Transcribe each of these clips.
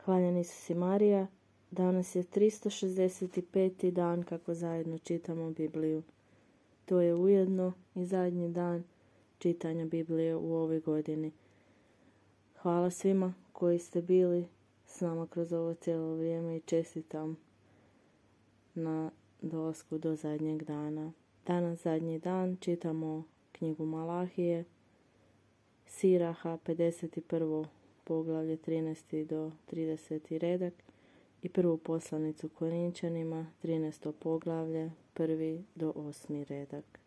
Hvaljen Isus i Marija, danas je 365. dan kako zajedno čitamo Bibliju. To je ujedno i zadnji dan čitanja Biblije u ovoj godini. Hvala svima koji ste bili s nama kroz ovo cijelo vrijeme i čestitam na dolasku do zadnjeg dana. Danas zadnji dan čitamo knjigu Malahije, Siraha, 51. poglavlje 13. do 30. redak i prvu poslanicu Korinčanima, 13. poglavlje, 1. do 8. redak.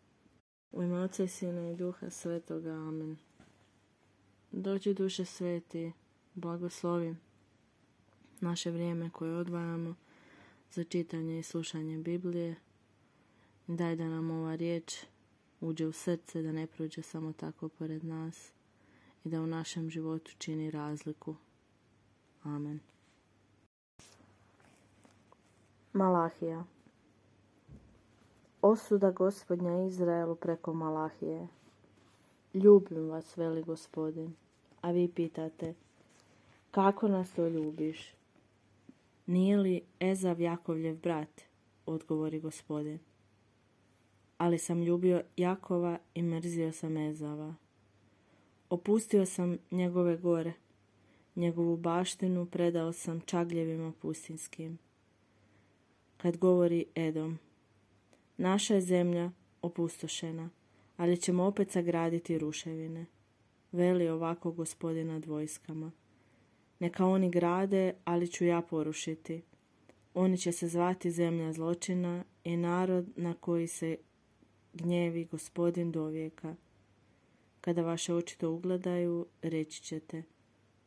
U ime Oca i Sina i Duha Svetoga, amen. Dođi Duše Sveti, blagoslovi naše vrijeme koje odvajamo za čitanje i slušanje Biblije. Daj da nam ova riječ uđe u srce, da ne prođe samo tako pored nas i da u našem životu čini razliku. Amen. Malahija. Osuda Gospodnja Izraelu preko Malahije. Ljubim vas, veli Gospodin, a vi pitate, kako nas to ljubiš? Nije li Ezav Jakovljev brat? Odgovori Gospodin. Ali sam ljubio Jakova i mrzio sam Ezava. Opustio sam njegove gore, njegovu baštinu predao sam čagljevima pustinskim. Kad govori Edom, naša je zemlja opustošena, ali ćemo opet sagraditi ruševine. Veli ovako Gospodin nad vojskama. Neka oni grade, ali ću ja porušiti. Oni će se zvati zemlja zločina i narod na koji se gnjevi Gospodin dovijeka. Kada vaše oči to ugledaju, reći ćete,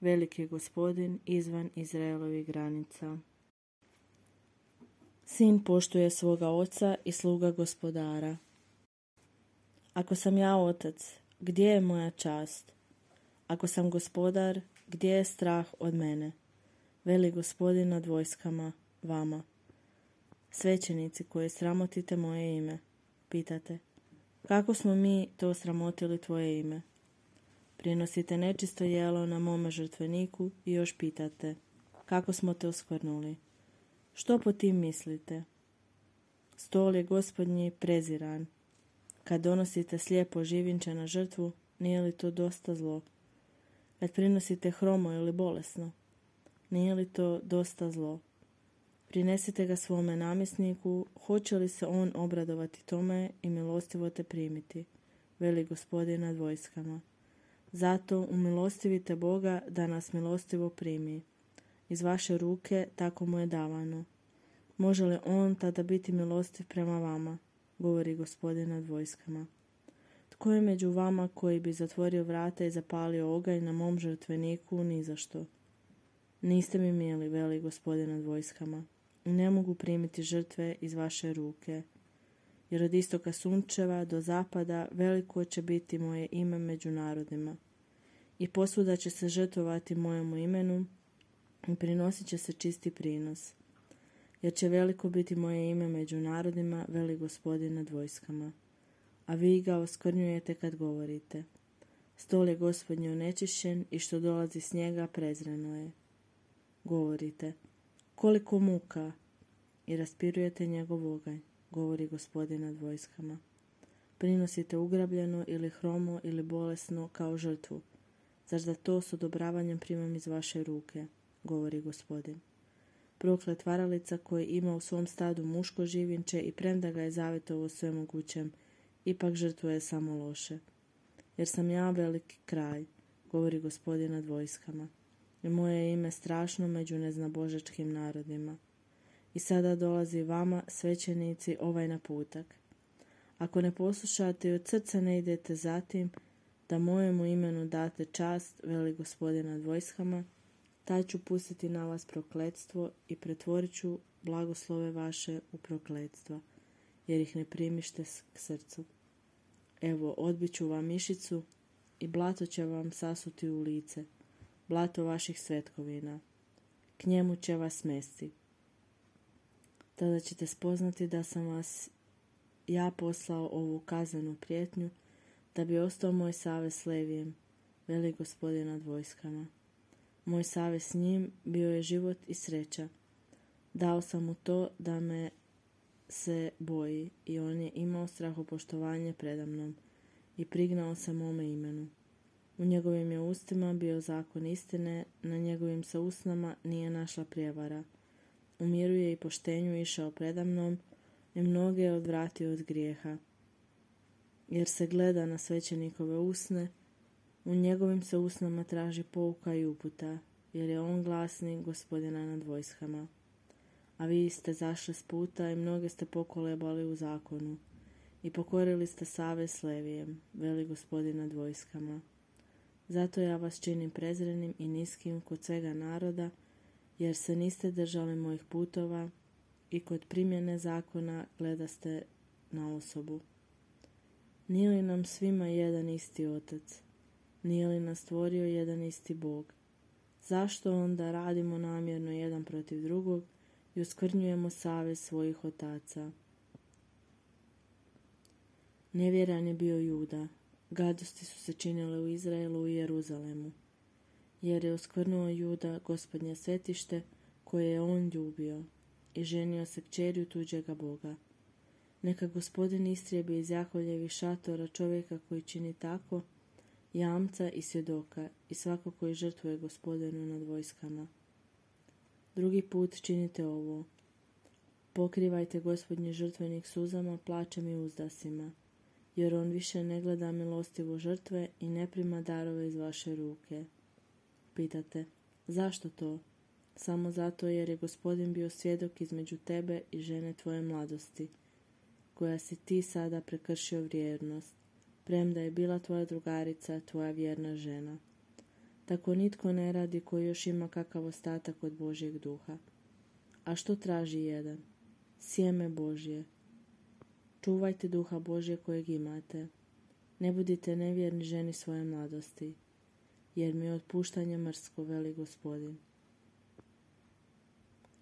veliki je Gospodin izvan Izraelovih granica. Sin poštuje svoga oca i sluga gospodara. Ako sam ja otac, gdje je moja čast? Ako sam gospodar, gdje je strah od mene? Veli Gospodin nad vojskama vama. Svećenici koji sramotite moje ime, pitate, kako smo mi to sramotili tvoje ime? Prinosite nečisto jelo na mome žrtveniku i još pitate, kako smo te oskvrnuli? Što po tim mislite? Stol je Gospodnji preziran. Kad donosite slijepo živinče na žrtvu, nije li to dosta zlo? Kad prinosite hromo ili bolesno, nije li to dosta zlo? Prinesite ga svome namjesniku, hoće li se on obradovati tome i milostivo te primiti, veli Gospodin nad vojskama. Zato umilostivite Boga da nas milostivo primi. Iz vaše ruke tako mu je davano. Može li on tada biti milostiv prema vama, govori Gospodin nad vojskama. Tko je među vama koji bi zatvorio vrata i zapalio oganj na mom žrtveniku ni za što? Niste mi mili, veli Gospodin nad vojskama. Ne mogu primiti žrtve iz vaše ruke, jer od istoka sunčeva do zapada veliko će biti moje ime među narodima. I posvuda će se žrtvovati mojemu imenu i prinosit će se čisti prinos. Jer će veliko biti moje ime među narodima, veli Gospodin nad vojskama. A vi ga oskvrnjujete kad govorite. Stol je Gospodnji onečišćen i što dolazi s njega prezreno je. Govorite, koliko muka, i raspirujete njegov oganj, govori Gospodin nad vojskama. Prinosite ugrabljeno ili hromo ili bolesno kao žrtvu. Zar da to s odobravanjem primam iz vaše ruke, govori Gospodin. Proklet varalica koji ima u svom stadu muško živinče i premda ga je zavjetovo svemogućem, ipak žrtvuje samo loše. Jer sam ja veliki kraj, govori Gospodin nad vojskama, i moje je ime strašno među neznabožačkim narodima. I sada dolazi vama, svećenici, ovaj naputak. Ako ne poslušate i od srca ne idete za tim, da mojemu imenu date čast, veli Gospodin nad vojskama, taj ću pustiti na vas prokletstvo i pretvorit ću blagoslove vaše u prokletstva, jer ih ne primište k srcu. Evo, odbit ću vam mišicu i blato će vam sasuti u lice, blato vaših svetkovina. K njemu će vas smesti. Tada ćete spoznati da sam vas ja poslao ovu kaznenu prijetnju, da bi ostao moj savez s Levijem, veli Gospodin nad vojskama. Moj savez s njim bio je život i sreća. Dao sam mu to da me se boji i on je imao strahopoštovanje predamnom i prignao se mome imenu. U njegovim je ustima bio zakon istine, na njegovim se usnama nije našla prijevara. U miru je i poštenju išao predamnom i mnoge je odvratio od grijeha. Jer se gleda na svećenikove usne, u njegovim se usnama traži pouka i uputa, jer je on glasnik Gospodina nad vojskama. A vi ste zašli s puta i mnoge ste pokolebali u zakonu i pokorili ste savez s Levijem, veli Gospodin nad vojskama. Zato ja vas činim prezrenim i niskim kod svega naroda, jer se niste držali mojih putova i kod primjene zakona gledaste na osobu. Nije li nam svima jedan isti Otac? Nije li nas stvorio jedan isti Bog? Zašto onda radimo namjerno jedan protiv drugog i oskvrnjujemo savez svojih otaca? Nevjeran je bio Juda. Gadosti su se činile u Izraelu i Jeruzalemu, jer je oskvrnuo Juda Gospodnje svetište koje je on ljubio i ženio se kćerju tuđega Boga. Neka Gospodin istrijebi iz Jakovljevih šatora čovjeka koji čini tako, jamca i svjedoka i svako koji žrtvuje Gospodinu nad vojskama. Drugi put činite ovo. Pokrivajte Gospodnji žrtvenik suzama, plačem i uzdasima, jer on više ne gleda milostivo žrtve i ne prima darove iz vaše ruke. Pitate, zašto to? Samo zato jer je Gospodin bio svjedok između tebe i žene tvoje mladosti, koja si ti sada prekršio vjernost, premda je bila tvoja drugarica, tvoja vjerna žena. Tako nitko ne radi koji još ima kakav ostatak od Božjeg duha. A što traži jedan? Sjeme Božje. Čuvajte duha Božje kojeg imate. Ne budite nevjerni ženi svoje mladosti, jer mi je otpuštanje mrsko, veli Gospodin.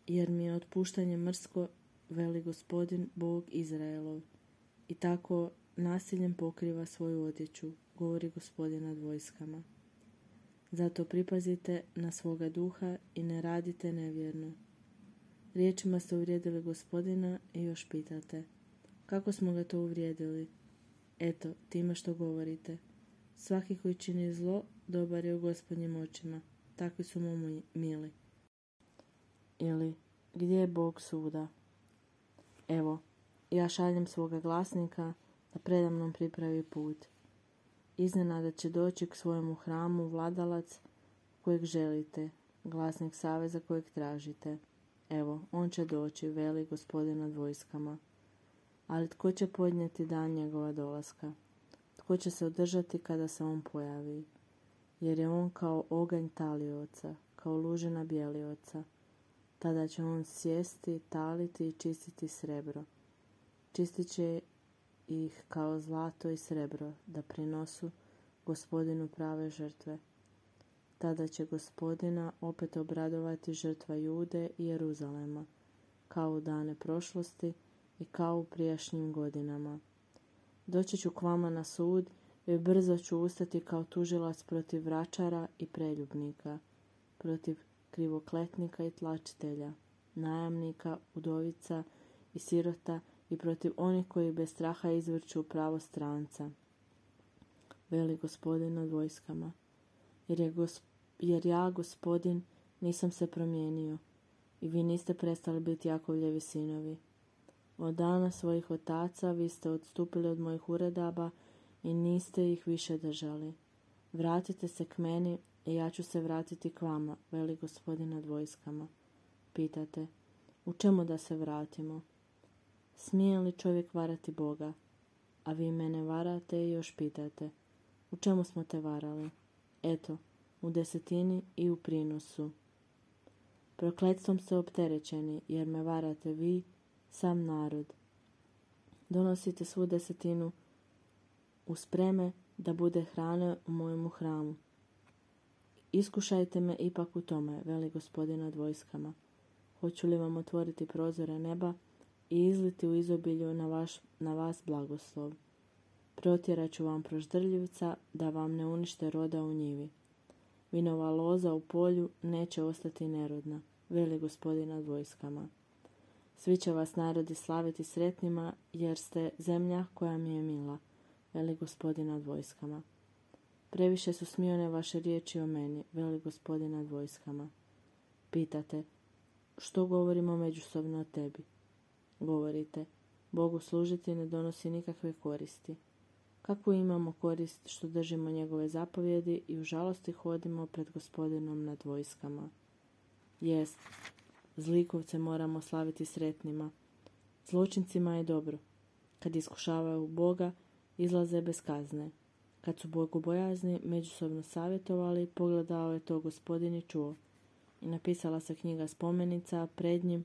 Jer mi je otpuštanje mrsko, veli Gospodin, Bog Izraelov, i tako nasiljem pokriva svoju odjeću, govori Gospodin nad vojskama. Zato pripazite na svoga duha i ne radite nevjerno. Riječima ste uvrijedili Gospodina i još pitate, kako smo ga to uvrijedili? Eto, time što govorite. Svaki koji čini zlo, dobar je u Gospodnjim očima, takvi su mu mili. Ili, gdje je Bog suda? Evo, ja šaljem svoga glasnika da predamnom pripravi put. Iznenada će doći k svojemu hramu vladalac kojeg želite, glasnik saveza kojeg tražite. Evo, on će doći, veli Gospodin nad vojskama. Ali tko će podnijeti dan njegova dolaska? Tko će se održati kada se on pojavi? Jer je on kao oganj talioca, kao lužina bjelioca. Tada će on sjesti, taliti i čistiti srebro. Čistit će ih kao zlato i srebro, da prinosu Gospodinu prave žrtve. Tada će Gospodina opet obradovati žrtva Jude i Jeruzalema, kao u dane prošlosti i kao u prijašnjim godinama. Doći ću k vama na sud i brzo ću ustati kao tužilac protiv vračara i preljubnika, protiv krivokletnika i tlačitelja, najamnika, udovica i sirota i protiv onih koji bez straha izvrću pravo stranca, veli Gospodin nad vojskama. Jer ja, Gospodin, nisam se promijenio i vi niste prestali biti Jakovljevi sinovi. Od dana svojih otaca vi ste odstupili od mojih uredaba i niste ih više držali. Vratite se k meni i ja ću se vratiti k vama, veli Gospodin nad vojskama. Pitate, u čemu da se vratimo? Smije li čovjek varati Boga? A vi mene varate i još pitate, u čemu smo te varali? Eto, u desetini i u prinosu. Prokletstvom ste opterećeni, jer me varate vi, sam narod. Donosite svu desetinu u spreme da bude hrane u mojemu hramu. Iskušajte me ipak u tome, veli Gospodin nad vojskama. Hoću li vam otvoriti prozore neba i izliti u izobilju na vas blagoslov. Protjerat ću vam proždrljivca da vam ne unište roda u njivi. Vinova loza u polju neće ostati nerodna, veli Gospodin nad vojskama. Svi će vas narodi slaviti sretnima, jer ste zemlja koja mi je mila, veli Gospodin nad vojskama. Previše su smijone vaše riječi o meni, veli Gospodin nad vojskama. Pitate, što govorimo međusobno o tebi? Govorite, Bogu služiti ne donosi nikakve koristi. Kakvu imamo korist što držimo njegove zapovjedi i u žalosti hodimo pred Gospodinom nad vojskama? Jest, zlikovce moramo slaviti sretnima. Zločincima je dobro. Kad iskušavaju Boga, izlaze bez kazne. Kad su bogobojazni međusobno savjetovali, pogledao je to Gospodin i čuo. I napisala se knjiga spomenica pred njim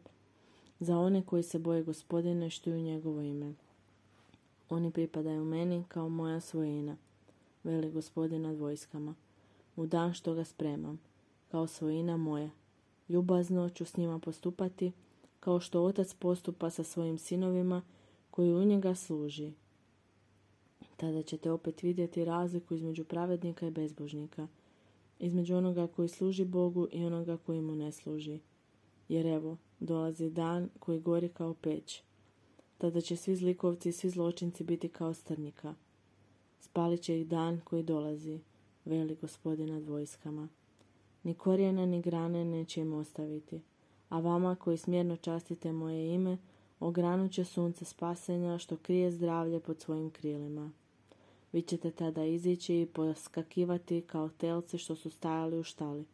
za one koji se boje Gospodina i štuju njegovo ime. Oni pripadaju meni kao moja svojina, veli Gospodin nad vojskama, u dan što ga spremam, kao svojina moja. Ljubazno ću s njima postupati, kao što otac postupa sa svojim sinovima koji u njega služi. Tada ćete opet vidjeti razliku između pravednika i bezbožnika, između onoga koji služi Bogu i onoga koji mu ne služi. Jer evo, dolazi dan koji gori kao peć. Tada će svi zlikovci i svi zločinci biti kao strnika. Spalit će ih dan koji dolazi, veli Gospodin nad vojskama. Ni korijena ni grane neće im ostaviti, a vama koji smjerno častite moje ime, ogranut će sunce spasenja što krije zdravlje pod svojim krilima. Vi ćete tada izići i poskakivati kao telci što su stajali u štali.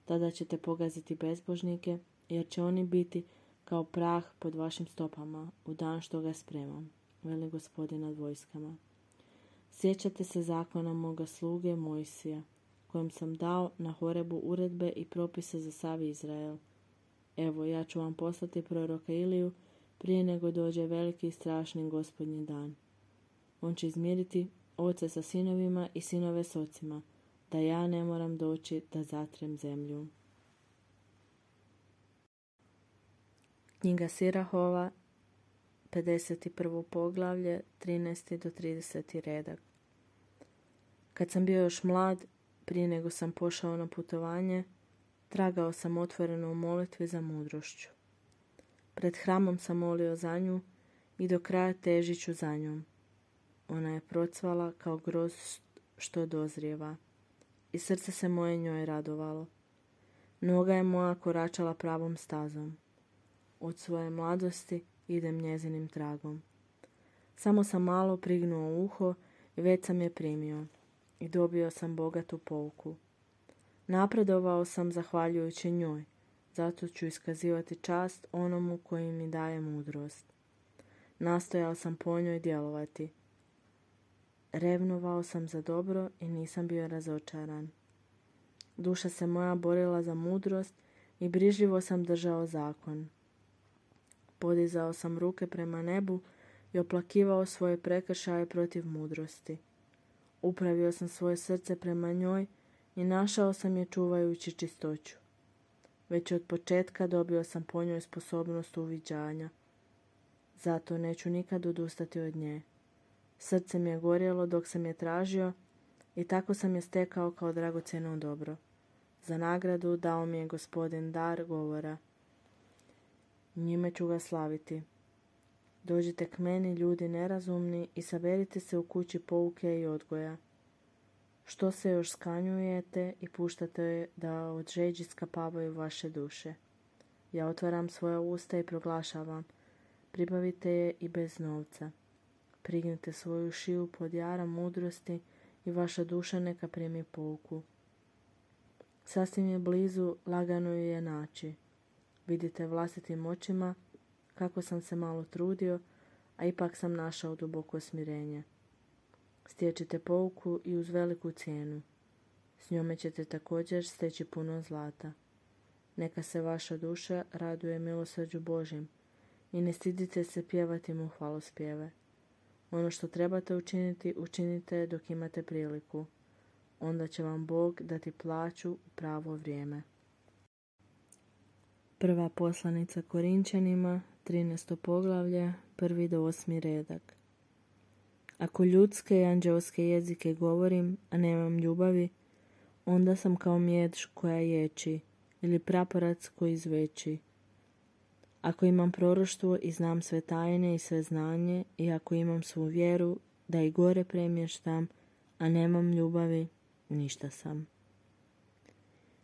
Tada ćete pogaziti bezbožnike, jer će oni biti kao prah pod vašim stopama u dan što ga spremam, veli Gospodin nad vojskama. Sjećate se zakona moga sluge Mojsija, kojem sam dao na Horebu uredbe i propise za sav Izrael. Evo, ja ću vam poslati proroka Iliju prije nego dođe veliki i strašni Gospodnji dan. On će izmiriti oce sa sinovima i sinove s ocima, da ja ne moram doći da zatrem zemlju. Knjiga Sirahova, 51. poglavlje, 13. do 30. redak. Kad sam bio još mlad, prije nego sam pošao na putovanje, tragao sam otvoreno u molitvi za mudrošću. Pred hramom sam molio za nju i do kraja težit ću za njom. Ona je procvala kao groz što dozrijeva i srce se moje njoj radovalo. Noga je moja koračala pravom stazom. Od svoje mladosti idem njezinim tragom. Samo sam malo prignuo uho i već sam je primio i dobio sam bogatu pouku. Napredovao sam zahvaljujući njoj, zato ću iskazivati čast onomu koji mi daje mudrost. Nastojao sam po njoj djelovati. Revnovao sam za dobro i nisam bio razočaran. Duša se moja borila za mudrost i brižljivo sam držao zakon. Podizao sam ruke prema nebu i oplakivao svoje prekršaje protiv mudrosti. Upravio sam svoje srce prema njoj i našao sam je čuvajući čistoću. Već od početka dobio sam po njoj sposobnost uviđanja. Zato neću nikad odustati od nje. Srce mi je gorjelo dok sam je tražio i tako sam je stekao kao dragocjeno dobro. Za nagradu dao mi je Gospodin dar govora. Njime ću ga slaviti. Dođite k meni, ljudi nerazumni, i saberite se u kući pouke i odgoja. Što se još skanjujete i puštate da od žeđi skapavaju vaše duše? Ja otvaram svoja usta i proglašavam. Pribavite je i bez novca. Prignite svoju šiju pod jaram mudrosti i vaša duša neka primi pouku. Sasvim je blizu, lagano ju je naći. Vidite vlastitim očima kako sam se malo trudio, a ipak sam našao duboko smirenje. Stječite pouku i uz veliku cijenu. S njome ćete također steći puno zlata. Neka se vaša duša raduje milosrđu Božjem i ne stidite se pjevati mu hvalospjeve. Ono što trebate učiniti, učinite dok imate priliku. Onda će vam Bog dati plaću u pravo vrijeme. Prva poslanica Korinčanima, 13. poglavlje, 1. do 8. redak. Ako ljudske i anđelske jezike govorim, a nemam ljubavi, onda sam kao mjeđ koja ječi ili praporac koji zveči. Ako imam proroštvo i znam sve tajne i sve znanje, i ako imam svu vjeru da i gore premještam, a nemam ljubavi, ništa sam.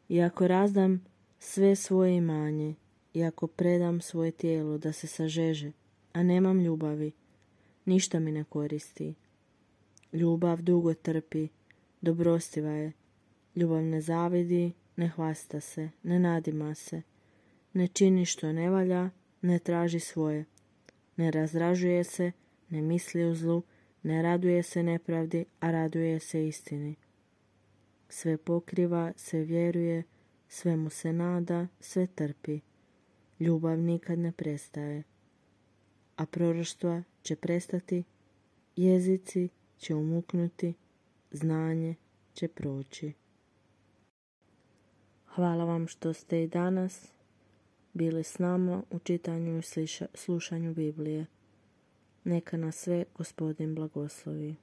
I ako razdam sve svoje imanje, i ako predam svoje tijelo da se sažeže, a nemam ljubavi, ništa mi ne koristi. Ljubav dugo trpi, dobrostiva je. Ljubav ne zavidi, ne hvasta se, ne nadima se, ne čini što ne valja, ne traži svoje, ne razražuje se, ne misli o zlu, ne raduje se nepravdi, a raduje se istini. Sve pokriva, sve vjeruje, sve mu se nada, sve trpi. Ljubav nikad ne prestaje. A proroštva će prestati, jezici će umuknuti, znanje će proći. Hvala vam što ste i danas bili s nama u čitanju i slušanju Biblije. Neka nas sve Gospodin blagoslovi.